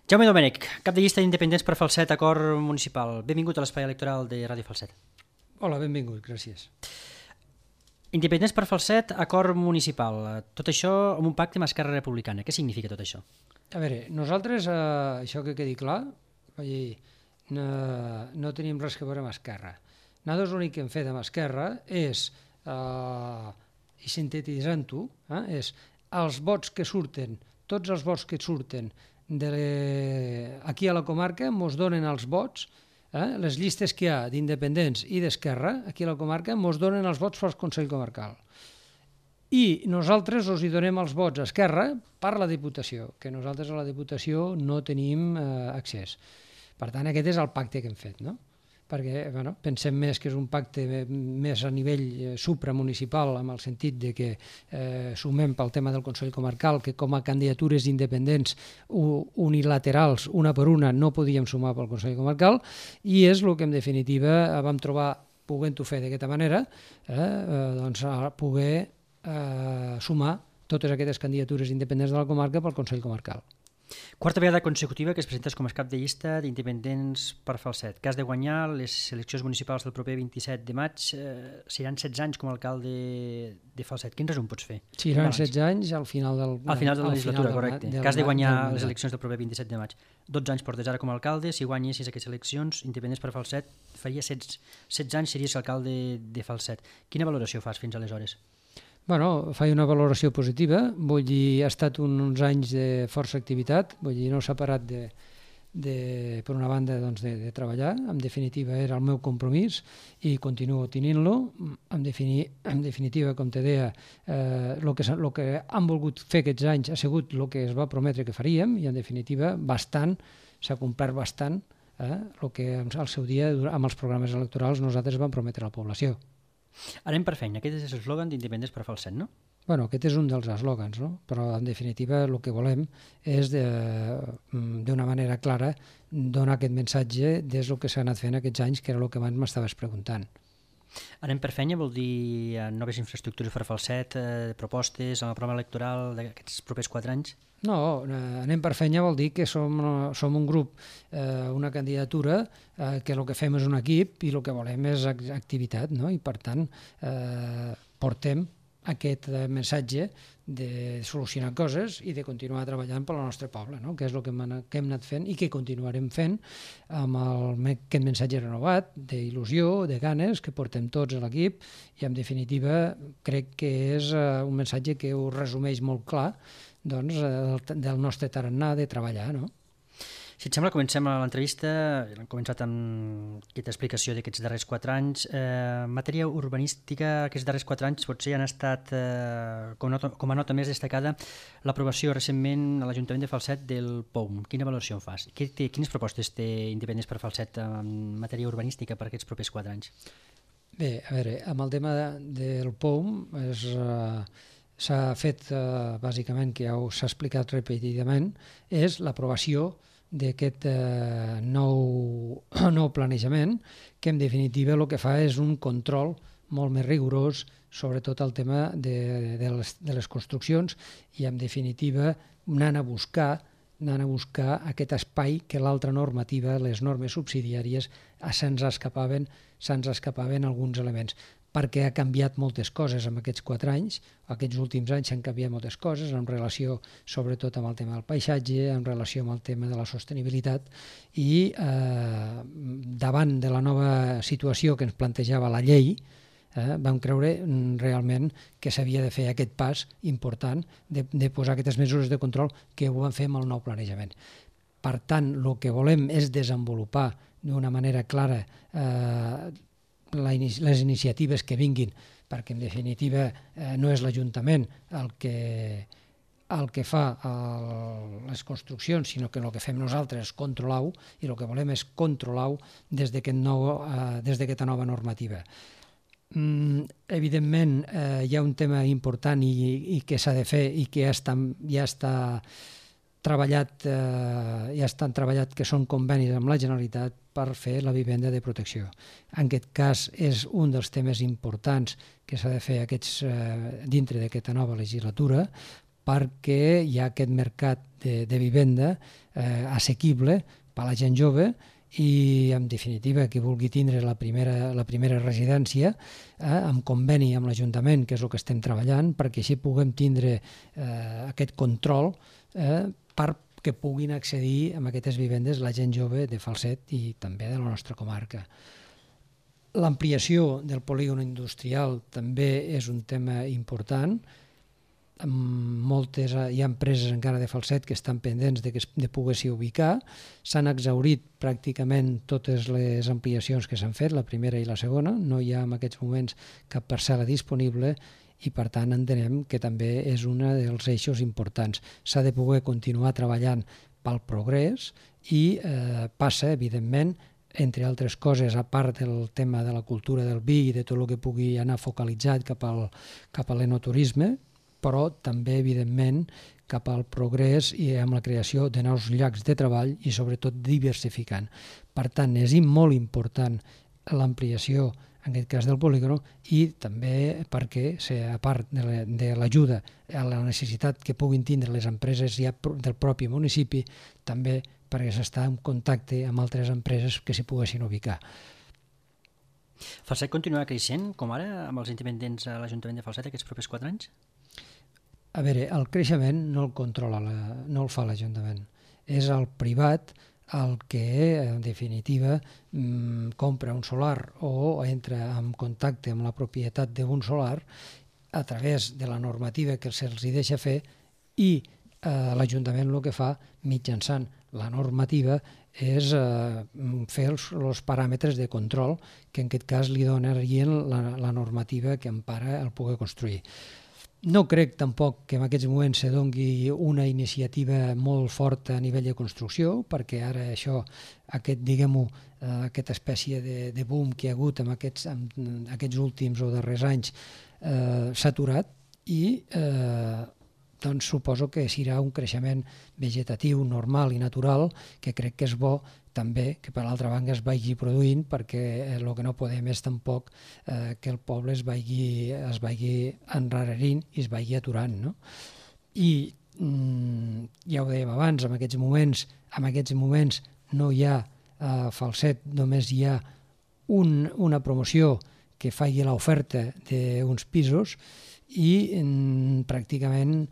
Jaume Domènech, cap de llista d'independents per Falset, acord municipal. Benvingut a l'espai electoral de Ràdio Falset. Hola, benvingut, gràcies. Independents per Falset, acord municipal. Tot això amb un pacte amb Esquerra Republicana. Què significa tot això? A veure, nosaltres, això que quedi clar, no tenim res que veure amb Esquerra. Nosaltres l'únic que hem fet amb Esquerra és, i sintetitzant-ho, és els vots que surten, tots els vots que surten aquí a la comarca mos donen els vots, les llistes que hi ha d'independents i d'Esquerra aquí a la comarca mos donen els vots pel Consell Comarcal. I nosaltres us hi donem els vots a Esquerra per la Diputació, que nosaltres a la Diputació no tenim accés. Per tant, aquest és el pacte que hem fet, no? Perquè pensem més que és un pacte més a nivell supramunicipal, en el sentit de que sumem pel tema del Consell Comarcal, que com a candidatures independents unilaterals, una per una, no podíem sumar pel Consell Comarcal, i és el que en definitiva vam trobar, podent-ho fer d'aquesta manera, poder sumar totes aquestes candidatures independents de la comarca pel Consell Comarcal. Quarta vegada consecutiva que es presentes com a cap de llista d'independents per Falset. Que has de guanyar les eleccions municipals del proper 27 de maig. Seran 16 anys com a alcalde de Falset. Quin resum pots fer? Seran 16 anys al final de la legislatura, correcte. Que has de guanyar les eleccions del proper 27 de maig. 12 anys portes ara com a alcalde. Si guanyessis aquestes eleccions independents per Falset, faria 16 anys series alcalde de Falset. Quina valoració fas fins aleshores? Faig una valoració positiva, vull dir, ha estat uns anys de força activitat, vull dir, no s'ha parat per una banda de treballar, en definitiva era el meu compromís i continuo tenint-lo, en definitiva, com te deia, el que han volgut fer aquests anys ha sigut el que es va prometre que faríem i en definitiva bastant, s'ha complert bastant el que al seu dia amb els programes electorals nosaltres vam prometre a la població. Anem per feina, aquest és l'eslògan d'Independents per Falset, no? Aquest és un dels eslògans, no? Però en definitiva el que volem és d'una manera clara donar aquest missatge des del que s'ha anat fent aquests anys, que era el que abans m'estaves preguntant. Anem per feina vol dir noves infraestructures per Falset, propostes en el programa electoral d'aquests propers 4 anys? No, anem per feina vol dir que som un grup, una candidatura, que el que fem és un equip i el que volem és activitat, no? I per tant portem aquest missatge de solucionar coses i de continuar treballant per al nostre poble, no? Que és el que hem anat fent i que continuarem fent amb aquest missatge renovat, d'il·lusió, de ganes, que portem tots a l'equip i en definitiva crec que és un missatge que ho resumeix molt clar del nostre tarannà de treballar, no? Si et sembla, comencem l'entrevista. Hem començat amb aquesta explicació d'aquests darrers 4 anys. Matèria urbanística, aquests darrers 4 anys potser han estat, com a nota més destacada, l'aprovació recentment a l'Ajuntament de Falset del POUM. Quina valoració en fas? Quines propostes té Independents per Falset en matèria urbanística per aquests propers 4 anys? Bé, a veure, amb el tema del POUM s'ha fet, bàsicament, que ja s'ha explicat repetidament, és l'aprovació d'aquest nou planejament, que en definitiva el que fa és un control molt més rigorós sobre tot el tema de les construccions i en definitiva anant a buscar aquest espai que l'altra normativa, les normes subsidiàries, se'ns escapaven alguns elements, perquè ha canviat moltes coses en aquests 4 anys, aquests últims anys s'han canviat moltes coses en relació sobretot amb el tema del paisatge, en relació amb el tema de la sostenibilitat i davant de la nova situació que ens plantejava la llei, vam creure realment que s'havia de fer aquest pas important de posar aquestes mesures de control que ho vam fer amb el nou planejament. Per tant, el que volem és desenvolupar d'una manera clara les iniciatives que vinguin, perquè en definitiva no és l'Ajuntament el que fa les construccions, sinó que el que fem nosaltres és controlar-ho i el que volem és controlar-ho des d'aquesta nova normativa. Evidentment hi ha un tema important i que s'ha de fer i que ja estan treballat, que són convenis amb la Generalitat per fer la vivenda de protecció. En aquest cas és un dels temes importants que s'ha de fer dintre d'aquesta nova legislatura perquè hi ha aquest mercat de vivenda assequible per a la gent jove i, en definitiva, qui vulgui tindre la primera residència amb conveni amb l'Ajuntament, que és el que estem treballant, perquè així puguem tindre aquest control perquè puguin accedir a aquestes vivendes la gent jove de Falset i també de la nostra comarca. L'ampliació del polígon industrial també és un tema important. Hi ha empreses encara de Falset que estan pendents de poder-s'hi ubicar. S'han exhaurit pràcticament totes les ampliacions que s'han fet, la primera i la segona. No hi ha en aquests moments cap parcel·la disponible i, per tant, entenem que també és un dels eixos importants. S'ha de poder continuar treballant pel progrés i passa, evidentment, entre altres coses, a part del tema de la cultura del vi i de tot el que pugui anar focalitzat cap a l'enoturisme, però també, evidentment, cap al progrés i amb la creació de nous llocs de treball i, sobretot, diversificant. Per tant, és molt important l'ampliació, en aquest cas del polígon, i també perquè, a part de l'ajuda a la necessitat que puguin tindre les empreses ja del propi municipi, també perquè s'està en contacte amb altres empreses que s'hi poguessin ubicar. Falset continuarà creixent, com ara, amb els independents a l'Ajuntament de Falset aquests propers 4 anys? A veure, el creixement no el controla, no el fa l'Ajuntament. És el privat el que, en definitiva, compra un solar o entra en contacte amb la propietat d'un solar a través de la normativa que se'ls deixa fer i l'Ajuntament el que fa mitjançant la normativa és fer els paràmetres de control que en aquest cas li donarien la normativa que empara el poder construir. No crec tampoc que en aquests moments se doni una iniciativa molt forta a nivell de construcció, perquè ara això, aquesta espècie de boom que hi ha hagut en aquests últims o darrers anys s'ha aturat i doncs suposo que serà un creixement vegetatiu, normal i natural, que crec que és bo també que per l'altra banda es vagi produint, perquè el que no podem és tampoc que el poble es vagi enrarerint i es vagi aturant. No? I ja ho dèiem abans, en aquests moments no hi ha a Falset, només hi ha una promoció que faci l'oferta d'uns pisos i pràcticament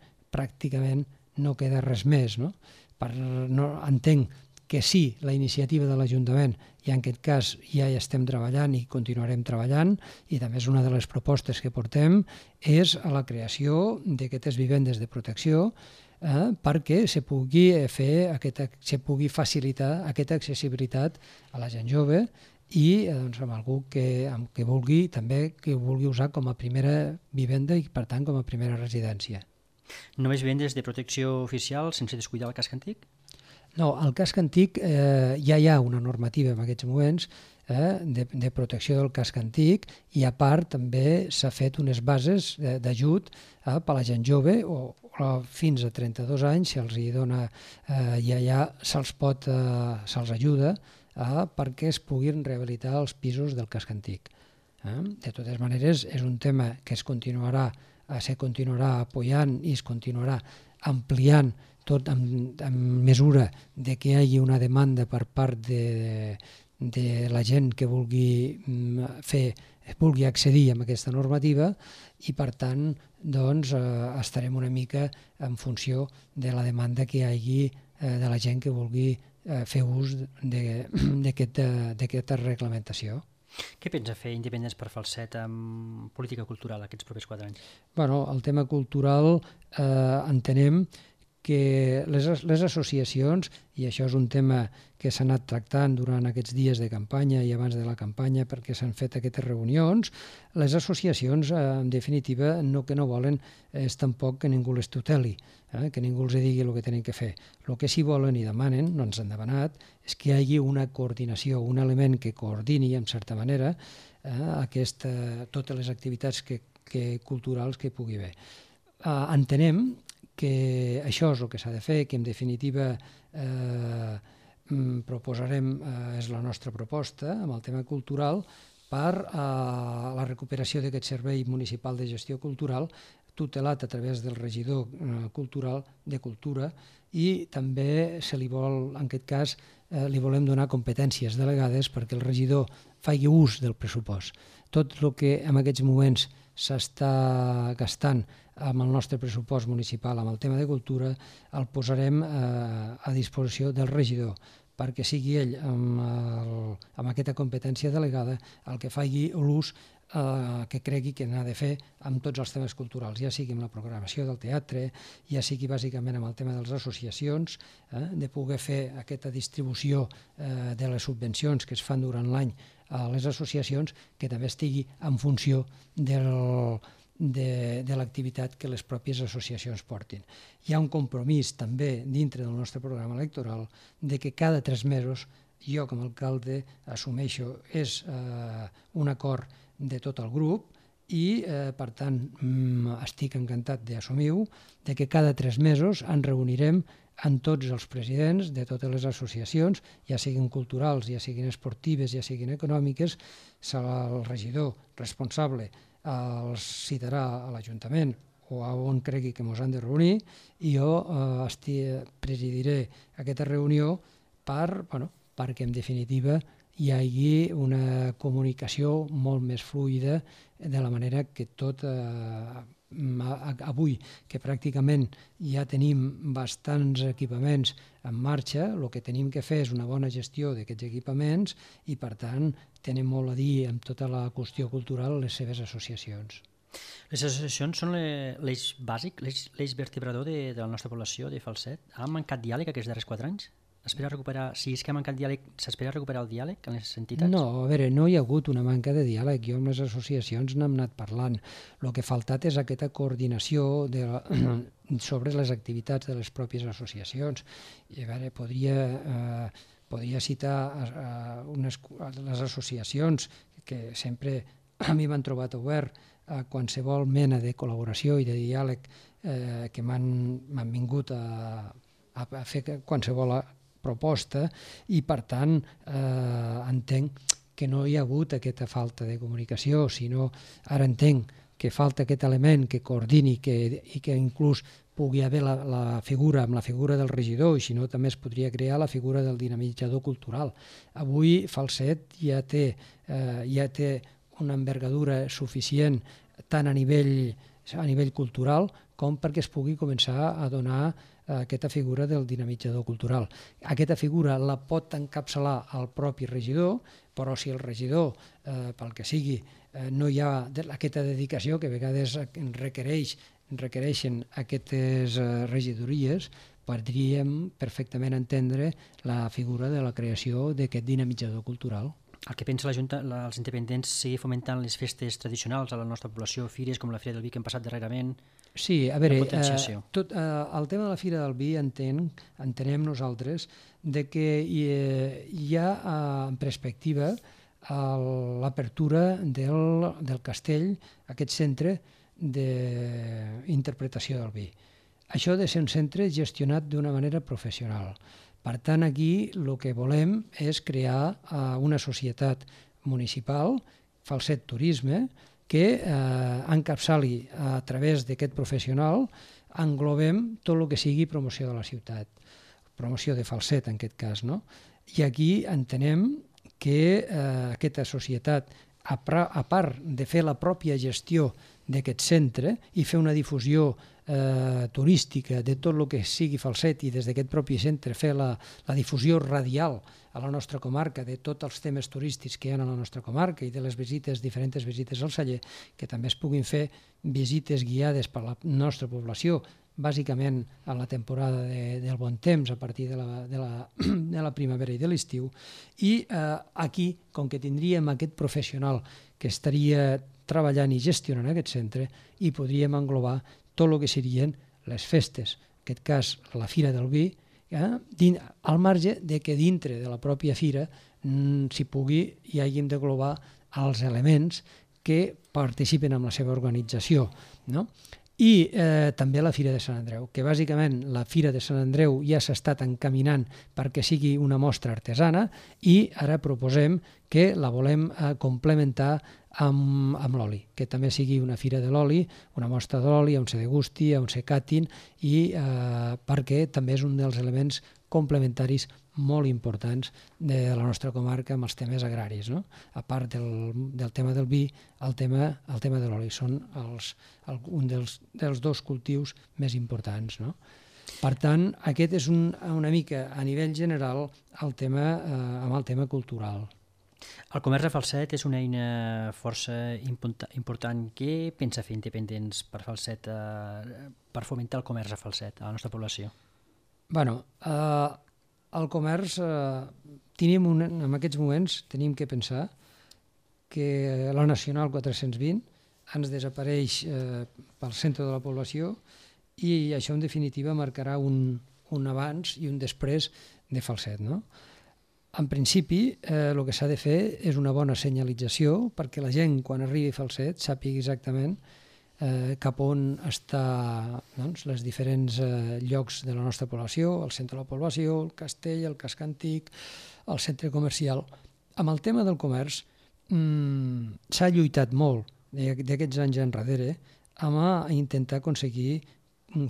no queda res més. No? Entenc que sí, la iniciativa de l'Ajuntament, i en aquest cas ja hi estem treballant i continuarem treballant, i també és una de les propostes que portem, és a la creació d'aquestes vivendes de protecció perquè se pugui facilitar aquesta accessibilitat a la gent jove i amb algú que vulgui usar com a primera vivenda i, per tant, com a primera residència. Només vivendes de protecció oficial sense descuidar el casc antic? No, al casc antic ja hi ha una normativa en aquests moments de protecció del casc antic i, a part, també s'ha fet unes bases d'ajut per a la gent jove o fins a 32 anys se'ls dona, ja se'ls ajuda perquè es puguin rehabilitar els pisos del casc antic. De totes maneres, és un tema que se continuarà apoyant i es continuarà ampliant tot en mesura de que hi hagi una demanda per part de la gent que vulgui accedir a aquesta normativa i, per tant, estarem una mica en funció de la demanda que hi hagi de la gent que vulgui fer ús d'aquesta reglamentació. Què pensa fer Independents per Falset amb política cultural aquests propers 4 anys? Bueno, el tema cultural entenem que les associacions, i això és un tema que s'ha anat tractant durant aquests dies de campanya i abans de la campanya perquè s'han fet aquestes reunions, les associacions, en definitiva, que no volen és tampoc que ningú les tuteli, que ningú els digui el que tenen que fer. El que sí volen i demanen, no ens han demanat, és que hi hagi una coordinació, un element que coordini, en certa manera, totes les activitats culturals que hi pugui haver. Entenem que això és el que s'ha de fer, que en definitiva proposarem, és la nostra proposta amb el tema cultural per a la recuperació d'aquest servei municipal de gestió cultural, tutelat a través del regidor cultural de Cultura, i també se li vol, en aquest cas, li volem donar competències delegades perquè el regidor faci ús del pressupost. Tot el que en aquests moments s'està gastant amb el nostre pressupost municipal amb el tema de cultura el posarem a disposició del regidor perquè sigui ell amb aquesta competència delegada el que faci l'ús que cregui que n'ha de fer amb tots els temes culturals, ja sigui amb la programació del teatre, ja sigui bàsicament amb el tema de les associacions, de poder fer aquesta distribució de les subvencions que es fan durant l'any a les associacions, que també estigui en funció de l'activitat que les pròpies associacions portin. Hi ha un compromís també dintre del nostre programa electoral de que cada 3 mesos jo com a alcalde assumeixo és un acord de tot el grup i per tant estic encantat d'assumir-ho, de que cada 3 mesos ens reunirem amb tots els presidents de totes les associacions, ja siguin culturals, ja siguin esportives, ja siguin econòmiques, serà el regidor responsable els citarà a l'Ajuntament o a on cregui que ens han de reunir i jo presidiré aquesta reunió perquè en definitiva hi hagi una comunicació molt més fluida de la manera que tot avui, que pràcticament ja tenim bastants equipaments en marxa, el que tenim que fer és una bona gestió d'aquests equipaments i per tant tenen molt a dir amb tota la qüestió cultural les seves associacions. Les associacions són l'eix bàsic, l'eix vertebrador de la nostra població de Falset. Ha mancat diàleg aquests darrers 4 anys? Si és que ha mancat diàleg, s'espera recuperar el diàleg en les entitats? No, a veure, no hi ha hagut una manca de diàleg. Jo amb les associacions n'hem anat parlant. El que ha faltat és aquesta coordinació sobre les activitats de les pròpies associacions. I a veure, podria citar les associacions que sempre a mi m'han trobat obert a qualsevol mena de col·laboració i de diàleg que m'han vingut a fer qualsevol proposta i per tant entenc que no hi ha hagut aquesta falta de comunicació, sinó ara entenc que falta aquest element que coordini i que inclús pugui haver la figura amb la figura del regidor i si no també es podria crear la figura del dinamitzador cultural. Avui Falset ja té una envergadura suficient tant a nivell cultural com perquè es pugui començar a donar aquesta figura del dinamitzador cultural. Aquesta figura la pot encapçalar el propi regidor, però si el regidor, pel que sigui, no hi ha aquesta dedicació que a vegades requereixen aquestes regidories, podríem perfectament entendre la figura de la creació d'aquest dinamitzador cultural. El que pensa la Junta, els independents, seguir fomentant les festes tradicionals a la nostra població, fires com la Fira del Vi que hem passat darrerament? Sí, a veure, el tema de la Fira del Vi entenem nosaltres que hi ha en perspectiva l'apertura del castell, aquest centre d'interpretació del vi. Això ha de ser un centre gestionat d'una manera professional. Per tant, aquí el que volem és crear una societat municipal, Falset Turisme, que encapçali a través d'aquest professional, englobem tot el que sigui promoció de la ciutat, promoció de Falset en aquest cas. I aquí entenem que aquesta societat, a part de fer la pròpia gestió d'aquest centre i fer una difusió turística de tot el que sigui Falset i des d'aquest propi centre fer la difusió radial a la nostra comarca de tots els temes turístics que hi ha a la nostra comarca i de les diferents visites al celler, que també es puguin fer visites guiades per la nostra població, bàsicament a la temporada del bon temps, a partir de la primavera i de l'estiu. I aquí, com que tindríem aquest professional que estaria treballant i gestionant aquest centre, hi podríem englobar tot el que serien les festes, en aquest cas la Fira del Vi, al marge de que dintre de la pròpia fira hi hàgim d'englobar els elements que participen en la seva organització. I també la Fira de Sant Andreu, que bàsicament la Fira de Sant Andreu ja s'ha estat encaminant perquè sigui una mostra artesana i ara proposem que la volem complementar amb l'oli, que també sigui una fira de l'oli, una mostra de l'oli, on se degusti, on se catin, i perquè també és un dels elements complementaris molt importants de la nostra comarca amb els temes agraris, no? A part del tema del vi, el tema de l'oli són un dels dos cultius més importants, no? Per tant, aquest és una mica a nivell general amb el tema cultural. El comerç de Falset és una eina força important. Què pensa fer Independents per Falset, per fomentar el comerç a Falset, a la nostra població? Bueno, el comerç, en aquests moments tenim que pensar que la Nacional 420 ens desapareix pel centre de la població i això en definitiva marcarà un abans i un després de Falset, no? En principi, el que s'ha de fer és una bona senyalització perquè la gent, quan arribi a Falset, sàpiga exactament cap on està els diferents llocs de la nostra població, el centre de la població, el castell, el casc antic, el centre comercial. Amb el tema del comerç s'ha lluitat molt d'aquests anys enrere amb intentar aconseguir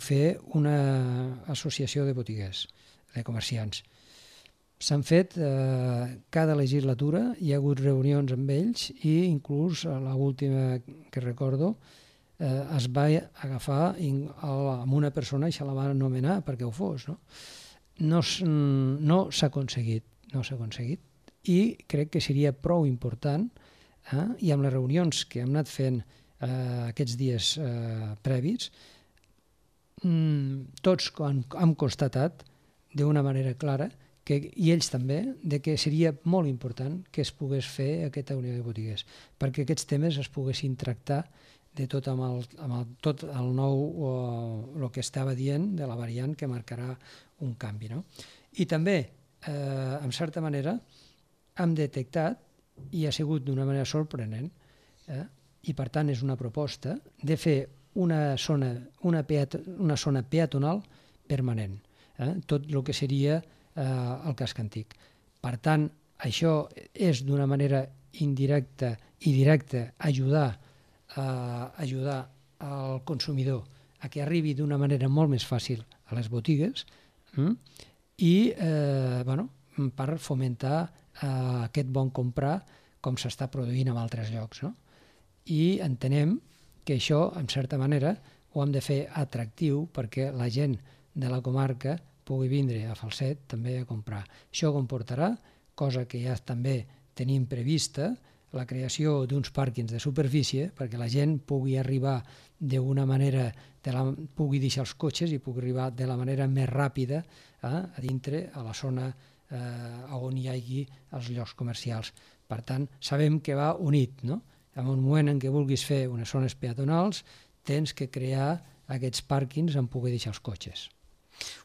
fer una associació de botiguers, de comerciants. S'han fet cada legislatura, hi ha hagut reunions amb ells i inclús l'última que recordo es va agafar amb una persona i se la va anomenar perquè ho fos. No s'ha aconseguit, i crec que seria prou important i amb les reunions que hem anat fent aquests dies previs, tots hem constatat d'una manera clara i ells també, que seria molt important que es pogués fer aquesta unió de botiguers, perquè aquests temes es poguessin tractar de tot amb tot el nou, el que estava dient de la variant que marcarà un canvi. I també, en certa manera, hem detectat, i ha sigut d'una manera sorprenent, i per tant és una proposta, de fer una zona peatonal permanent, tot el que seria el casc antic. Per tant, això és d'una manera indirecta i directa ajudar al consumidor a que arribi d'una manera molt més fàcil a les botigues i per fomentar aquest bon comprar com s'està produint en altres llocs. I entenem que això, en certa manera, ho hem de fer atractiu perquè la gent de la comarca pugui vindre a Falset també a comprar. Això comportarà, cosa que ja també tenim prevista, la creació d'uns pàrquings de superfície perquè la gent pugui arribar d'una manera, pugui deixar els cotxes i pugui arribar de la manera més ràpida a dintre, a la zona on hi hagi els llocs comercials. Per tant, sabem que va unit, no? En un moment en què vulguis fer unes zones peatonals, tens que crear aquests pàrquings on poder deixar els cotxes.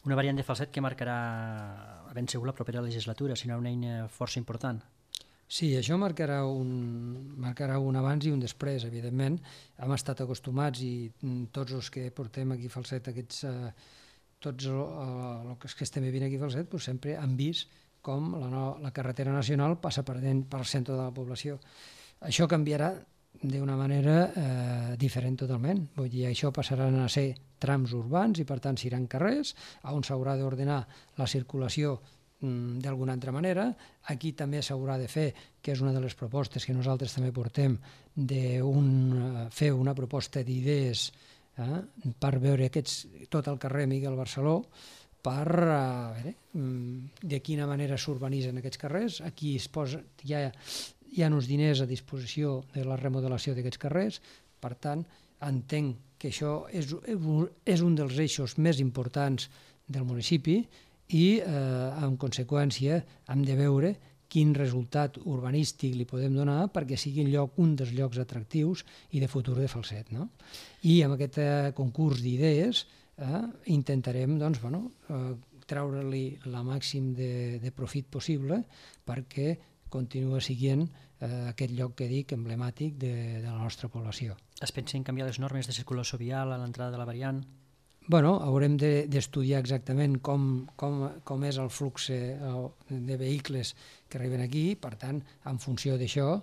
Una variant de Falset que marcarà ben segur la propera legislatura, serà una eina força important. Sí, això marcarà un abans i un després, evidentment. Hem estat acostumats i tots els que portem aquí a Falset, tots els que estem vivint aquí a Falset, sempre han vist com la carretera nacional passa pel centre de la població. Això canviarà d'una manera diferent totalment. Vull dir, això passaran a ser trams urbans i per tant seran carrers on s'haurà d'ordenar la circulació d'alguna altra manera. Aquí també s'haurà de fer, que és una de les propostes que nosaltres també portem, de fer una proposta d'idees per veure tot el carrer Miguel Barceló, per veure de quina manera s'urbanitzen aquests carrers. Aquí hi ha uns diners a disposició de la remodelació d'aquests carrers, per tant, entenc que això és un dels eixos més importants del municipi i, en conseqüència, hem de veure quin resultat urbanístic li podem donar perquè sigui un dels llocs atractius i de futur de Falset. I amb aquest concurs d'idees intentarem treure-li el màxim de profit possible perquè continua sent aquest lloc que dic emblemàtic de la nostra població. Es pensa en canviar les normes de circulació vial a l'entrada de la variant? Haurem d'estudiar exactament com és el flux de vehicles que arriben aquí, per tant, en funció d'això,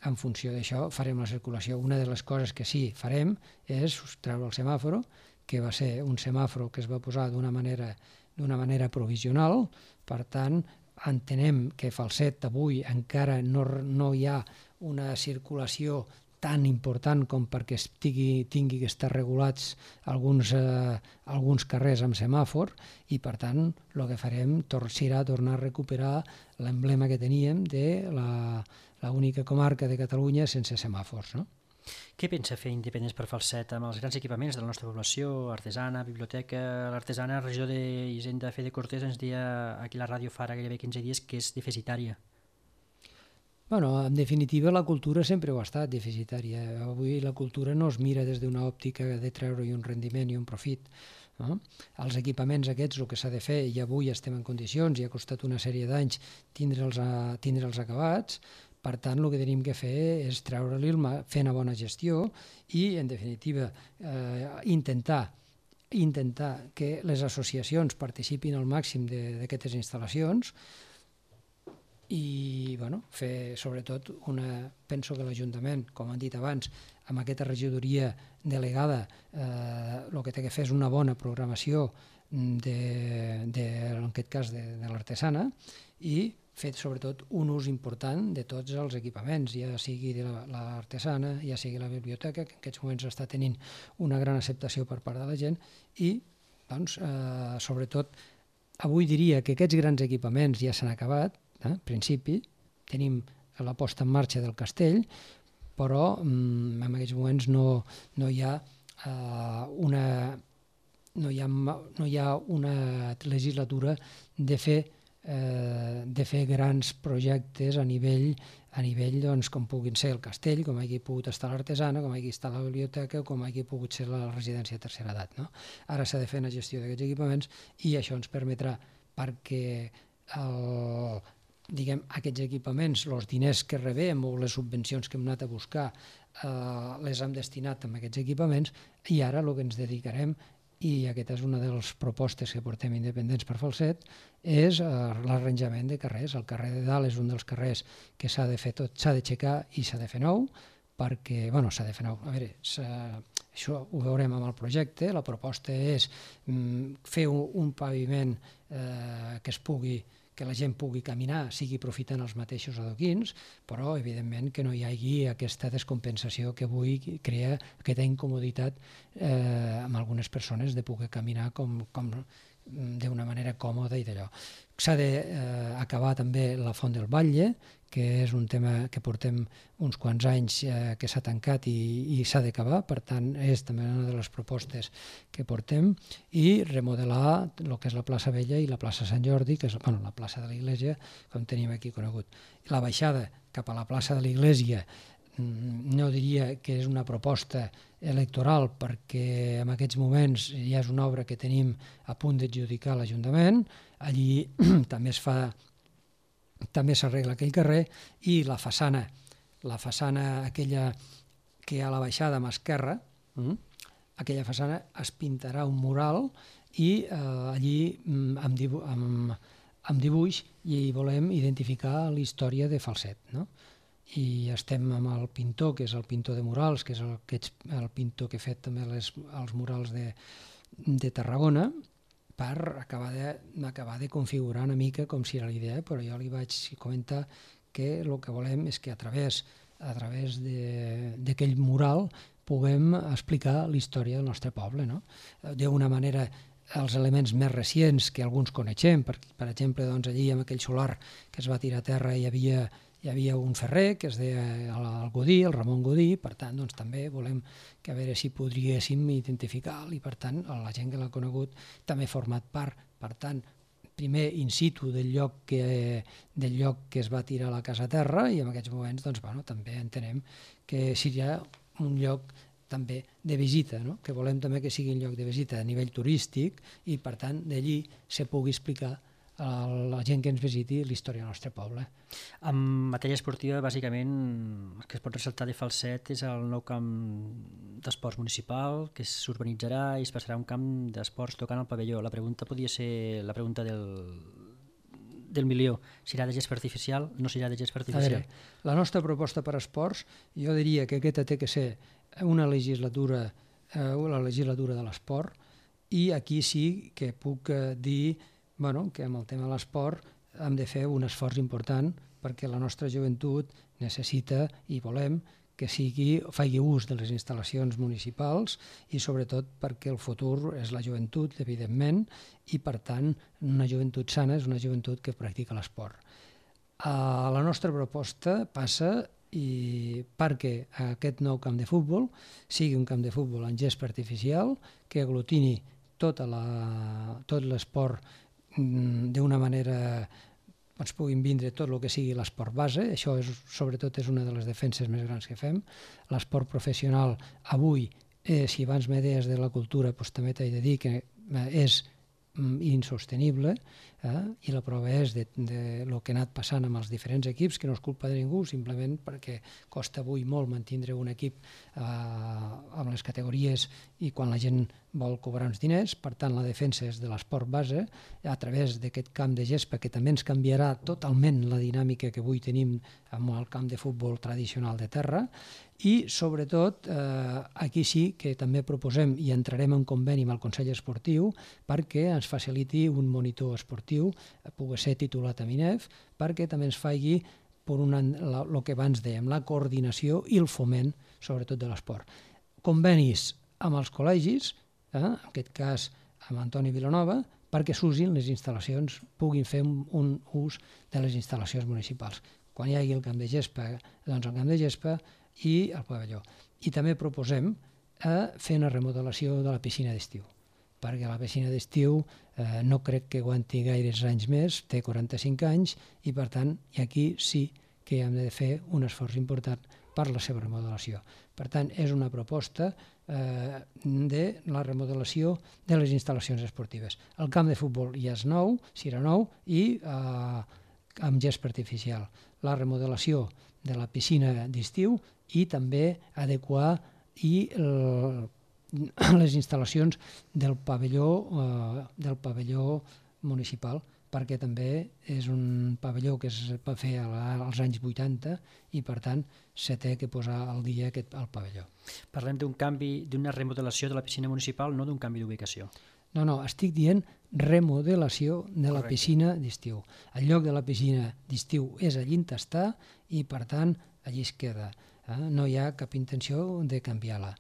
en funció d'això farem la circulació. Una de les coses que sí farem és treure el semàforo, que va ser un semàforo que es va posar d'una manera provisional. Per tant, entenem que Falset avui encara no hi ha una circulació tan important com perquè tingui que estar regulats alguns carrers amb semàfor, i per tant el que farem serà tornar a recuperar l'emblema que teníem de l'única comarca de Catalunya sense semàfors, no? Què pensa fer Independents per Falset amb els grans equipaments de la nostra població, artesana, biblioteca? L'artesana, regidor d'Hisenda Fede Cortés, ens deia aquí a la ràdio fa gairebé 15 dies que és deficitària. Bueno, en definitiva, la cultura sempre ho ha estat deficitària. Avui la cultura no es mira des d'una òptica de treure-hi un rendiment i un profit. No? Els equipaments aquests, el que s'ha de fer, i avui estem en condicions, i ha costat una sèrie d'anys tindre'ls acabats. Per tant, el que tenim que fer és treure-li fer una bona gestió i, en definitiva, intentar que les associacions participin al màxim d'aquestes instal·lacions i fer sobretot penso que l'Ajuntament, com han dit abans, amb aquesta regidoria delegada el que té que fer és una bona programació en aquest cas de l'artesana, i fer sobretot un ús important de tots els equipaments, ja sigui de l'artesana, ja sigui la biblioteca, que en aquests moments està tenint una gran acceptació per part de la gent, i sobretot avui diria que aquests grans equipaments ja s'han acabat. En principi tenim la posta en marxa del castell, però en aquests moments no hi ha una legislatura de fer grans projectes a nivell com puguin ser el castell, com hagi pogut estar l'artesana, com hagi estat la biblioteca, com hagi pogut ser la residència de tercera edat. No? Ara s'ha de fer una gestió d'aquests equipaments i això ens permetrà, perquè aquests equipaments, els diners que rebem o les subvencions que hem anat a buscar les hem destinat a aquests equipaments, i ara el que ens dedicarem, i aquesta és una de les propostes que portem Independents per Falset, és l'arranjament de carrers. El carrer de dalt és un dels carrers que s'ha de fer tot, s'ha d'aixecar i s'ha de fer nou, perquè, s'ha de fer nou, a veure, això ho veurem amb el projecte. La proposta és fer un paviment que la gent pugui caminar, sigui aprofitant els mateixos adoquins, però evidentment que no hi hagi aquesta descompensació que avui crea aquesta incomoditat amb algunes persones de poder caminar d'una manera còmoda i d'allò. S'ha d'acabar també la Font del Batlle, que és un tema que portem uns quants anys que s'ha tancat i s'ha d'acabar, per tant és també una de les propostes que portem, i remodelar el que és la plaça Vella i la plaça Sant Jordi, que és la plaça de l'Iglésia, com tenim aquí conegut. La baixada cap a la plaça de l'Iglésia no diria que és una proposta electoral, perquè en aquests moments ja és una obra que tenim a punt d'adjudicar a l'Ajuntament. Allí també s'arregla aquell carrer, i la façana aquella que a la baixada a mà esquerra, aquella façana es pintarà un mural, i allí amb dibuix hi volem identificar la història de Falset, no? I estem amb el pintor, que és el pintor de murals, que és el pintor que ha fet també els murals de Tarragona, per acabar de configurar una mica com si era l'idea, però jo li vaig comentar que el que volem és que a través d'aquell mural puguem explicar la història del nostre poble, no? D'una manera, els elements més recents que alguns coneixem, per exemple, allí amb aquell solar que es va tirar a terra hi havia un ferrer que es deia el Godí, el Ramon Godí, per tant també volem que a veure si podríem identificar-lo, i per tant la gent que l'ha conegut també ha format part, per tant, primer in situ del lloc que es va tirar la casa a terra, i en aquests moments també entenem que seria un lloc també de visita, no? Que volem també que sigui un lloc de visita a nivell turístic, i per tant d'allí se pugui explicar a la gent que ens visiti la història del nostre poble. En matèria esportiva, bàsicament, el que es pot ressaltar de Falset és el nou camp d'esports municipal, que s'urbanitzarà i es passarà a un camp d'esports tocant al pavelló. La pregunta podria ser la pregunta del del milió. Serà de gespa artificial, no serà de gespa A artificial? veure, la nostra proposta per esports, jo diria que aquesta té que ser una legislatura, la legislatura de l'esport, i aquí sí que puc dir que amb el tema de l'esport hem de fer un esforç important perquè la nostra joventut necessita i volem que faci ús de les instal·lacions municipals i sobretot perquè el futur és la joventut, evidentment, i per tant una joventut sana és una joventut que practica l'esport. La nostra proposta passa perquè aquest nou camp de futbol sigui un camp de futbol en gespa artificial que aglutini tot l'esport d'una manera ens puguin vindre tot el que sigui l'esport base, això sobretot és una de les defenses més grans que fem. L'esport professional avui, si abans me deies de la cultura, doncs també t'he de dir que és insostenible, i la prova és de lo que ha anat passant amb els diferents equips, que no és culpa de ningú, simplement perquè costa avui molt mantindre un equip amb les categories i quan la gent vol cobrar uns diners. Per tant, la defensa és de l'esport base a través d'aquest camp de gespa que també ens canviarà totalment la dinàmica que avui tenim amb el camp de futbol tradicional de terra. I, sobretot, aquí sí que també proposem i entrarem en conveni amb el Consell Esportiu perquè ens faciliti un monitor esportiu, pugui ser titulat a MINEF, perquè també ens faci el que abans dèiem, la coordinació i el foment, sobretot, de l'esport. Convenis amb els col·legis, en aquest cas amb Antoni Vilanova, perquè s'usin les instal·lacions, puguin fer un ús de les instal·lacions municipals. Quan hi hagi el camp de gespa, doncs el camp de gespa i el pavelló. I també proposem fer una remodelació de la piscina d'estiu, perquè la piscina d'estiu no crec que aguanti gaires anys més, té 45 anys, i per tant aquí sí que hem de fer un esforç important per la seva remodelació. Per tant, és una proposta de la remodelació de les instal·lacions esportives. El camp de futbol ja és nou, serà nou, i amb gespa artificial. La remodelació de la piscina d'estiu i també adequar les instal·lacions del pavelló municipal, perquè també és un pavelló que es va fer als anys 80 i, per tant, se té que posar al dia el pavelló. Parlem d'un canvi, d'una remodelació de la piscina municipal, no d'un canvi d'ubicació. No, estic dient remodelació de la piscina d'estiu. El lloc de la piscina d'estiu és allí on està i, per tant, allí es queda. No hi ha cap intenció de canviar-la.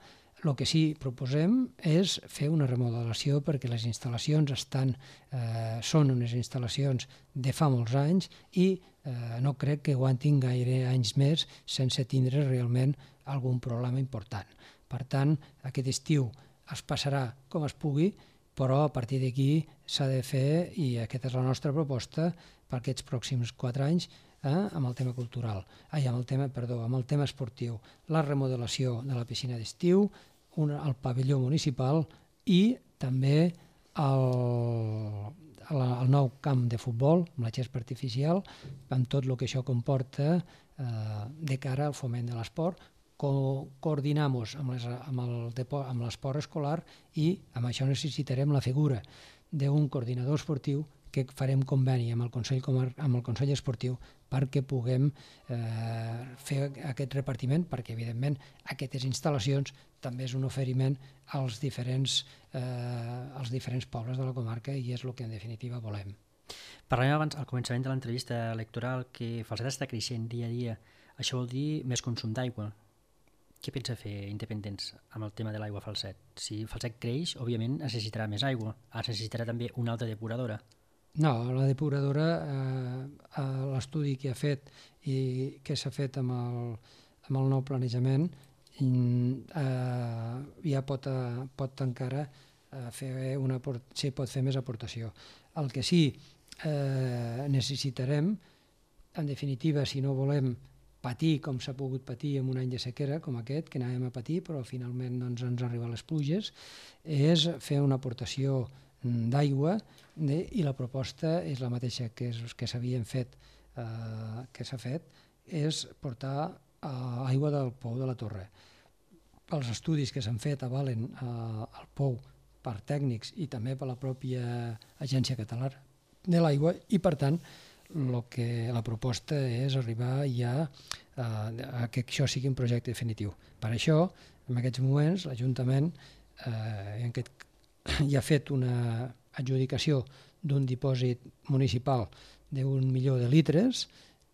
El que sí que proposem és fer una remodelació perquè les instal·lacions són unes instal·lacions de fa molts anys i no crec que aguantin gaire anys més sense tindre realment algun problema important. Per tant, aquest estiu es passarà com es pugui, però a partir d'aquí s'ha de fer, i aquesta és la nostra proposta, per aquests pròxims 4 anys, amb el tema cultural, amb el tema esportiu, la remodelació de la piscina d'estiu, el pavelló municipal i també el nou camp de futbol amb la gespa artificial, amb tot el que això comporta de cara al foment de l'esport. Coordinar-nos amb l'esport escolar i amb això necessitarem la figura d'un coordinador esportiu que farem conveni amb el Consell Esportiu perquè puguem fer aquest repartiment, perquè evidentment aquestes instal·lacions també és un oferiment als diferents pobles de la comarca i és el que en definitiva volem. Parlàvem abans al començament de l'entrevista electoral que Falset està creixent dia a dia. Això vol dir més consum d'aigua. Què pensa fer Independents amb el tema de l'aigua a Falset? Si Falset creix, òbviament necessitarà més aigua. Necessitarà també una altra depuradora. No, la depuradora, l'estudi que ha fet i que s'ha fet amb el nou planejament, ja pot encara pot fer més aportació. El que sí necessitarem, en definitiva, si no volem patir com s'ha pogut patir en un any de sequera com aquest, que anàvem a patir, però finalment ens arriben les pluges, és fer una aportació d'aigua, i la proposta és la mateixa que s'havien fet, que s'ha fet, és portar aigua del pou de la Torre. Els estudis que s'han fet avalen el pou per tècnics i també per la pròpia Agència Catalana de l'Aigua i, per tant, la proposta és arribar ja a que això sigui un projecte definitiu. Per això, en aquests moments, l'Ajuntament ja ha fet una adjudicació d'un dipòsit municipal d'1 milió de litres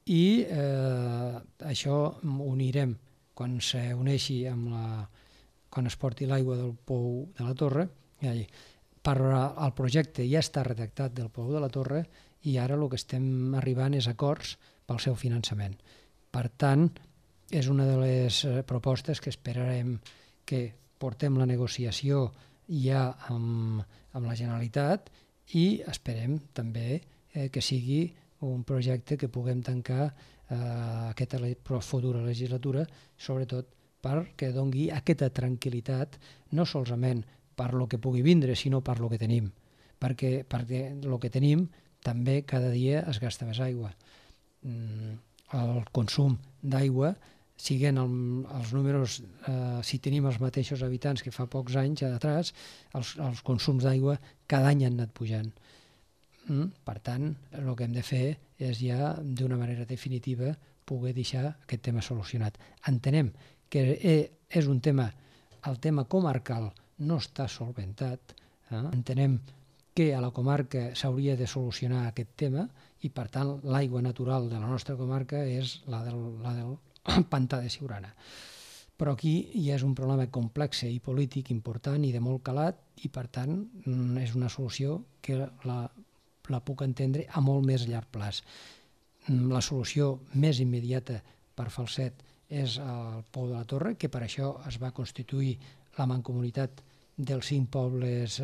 i això ho unirem quan s'uneixi quan es porti l'aigua del pou de la Torre. El projecte ja està redactat del pou de la Torre i ara el que estem arribant és acords pel seu finançament. Per tant, és una de les propostes que esperarem que portem la negociació ja amb la Generalitat i esperem també que sigui un projecte que puguem tancar aquesta futura legislatura, sobretot perquè doni aquesta tranquil·litat, no solament per lo que pugui vindre, sinó per lo que tenim. Perquè el que tenim també cada dia es gasta més aigua. El consum d'aigua, siguent els números, si tenim els mateixos habitants que fa pocs anys atrás, els consums d'aigua cada any han anat pujant. Per tant, el que hem de fer és ja d'una manera definitiva poder deixar aquest tema solucionat. Entenem que és un tema, el tema comarcal no està solventat, entenem que a la comarca s'hauria de solucionar aquest tema i per tant l'aigua natural de la nostra comarca és la del pantà de Siurana. Però aquí ja és un problema complex i polític important i de molt calat i per tant és una solució que la puc entendre a molt més llarg plaç. La solució més immediata per Falset és el Pou de la Torre, que per això es va constituir la mancomunitat dels 5 pobles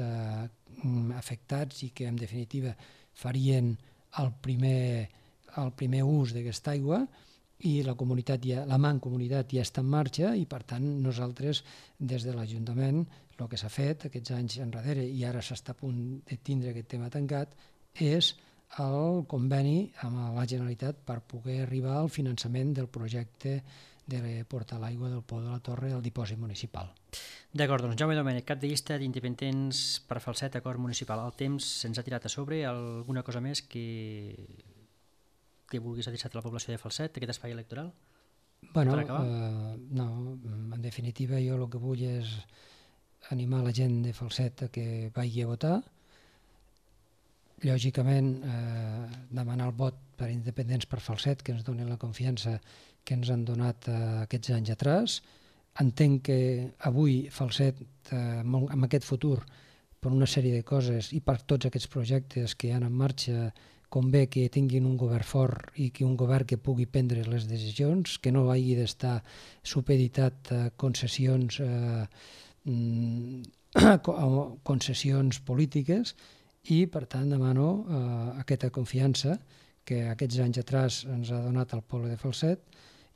afectats i que en definitiva farien el primer ús d'aquesta aigua i la mancomunitat ja està en marxa i per tant nosaltres des de l'Ajuntament el que s'ha fet aquests anys enrere i ara s'està a punt de tindre aquest tema tancat és el conveni amb la Generalitat per poder arribar al finançament del projecte de portar l'aigua del Pou de la Torre al dipòsit municipal. D'acord, doncs Jaume Domènech, cap de llista d'independents per Falset, acord municipal. El temps se'ns ha tirat a sobre. Alguna cosa més que vulguis adreçar a la població de Falset, aquest espai electoral? No, en definitiva jo el que vull és animar la gent de Falset a que vagi a votar. Lògicament, demanar el vot per independents per Falset, que ens donin la confiança que ens han donat aquests anys atrás. Entenc que avui Falset, amb aquest futur, per una sèrie de coses i per tots aquests projectes que hi ha en marxa, convé que tinguin un govern fort i que un govern que pugui prendre les decisions, que no hagi d'estar supeditat a concessions polítiques i, per tant, demano aquesta confiança que aquests anys atrás ens ha donat el poble de Falset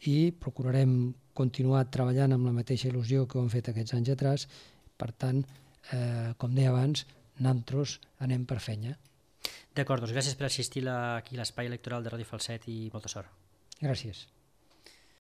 i procurarem continuar treballant amb la mateixa il·lusió que ho hem fet aquests anys atrás. Per tant, com deia abans, nosaltres anem per feina. D'acord, doncs gràcies per assistir aquí a l'espai electoral de Ràdio Falset i molta sort. Gràcies.